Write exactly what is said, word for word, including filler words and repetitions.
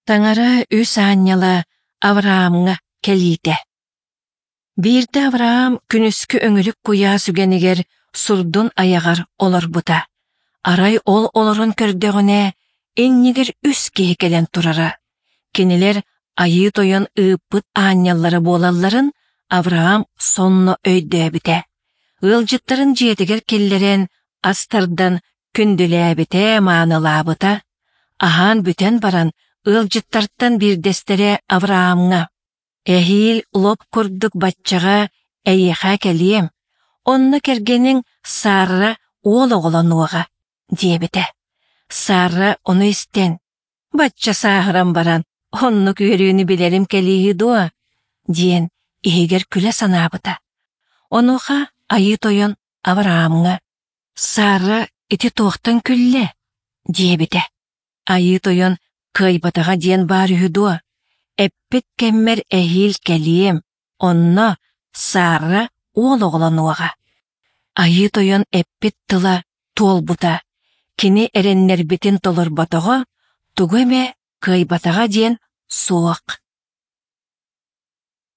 Таҥара үс аанньала Авраамҥа кэлиитэ. Биирдэ Авраам күнүскү өҥүрүк куйаас үгэнигэр сурдун айаҕар олорбута. Арай ол олорон көрдөҕүнэ, иннигэр үс киһи кэлэн турара. Кинилэр Айыы Тойон ыыппыт аанньаллара буолалларын Авраам сонно өйдөөбүтэ. Ыалдьыттарын дьиэтигэр киллэрэн, ас тардан күндүлээбитэ-маанылаабыта. Аһаан бүтэн баран, ыалдьыттартан биирдэстэрэ Авраамҥа: «Эһиил лоп курдук баччаҕа эйиэхэ кэлиэм, онно кэргэниҥ Сарра уол оҕолонуоҕа», диэбитэ. Сарра ону истэн: «Бачча сааһыран баран, оннук үөрүүнү билэрим кэлииһи дуо?» диэн иһигэр күлэ санаабыта. Онуоха Айыы Тойон Авраамҥа: «Сарра ити туохтан күллэ?» диэбитэ. Айыы Тойон кыайбатаҕа диэн баар үһү дуо? Эппит кэммэр эһиил кэлиэм, онно Сарра уол оҕолонуоҕа. Айыы Тойон эппит тыла туолбута, кини эрэннэрбитин толорботоҕо, тугу эмэ кыайбатаҕа диэн суох.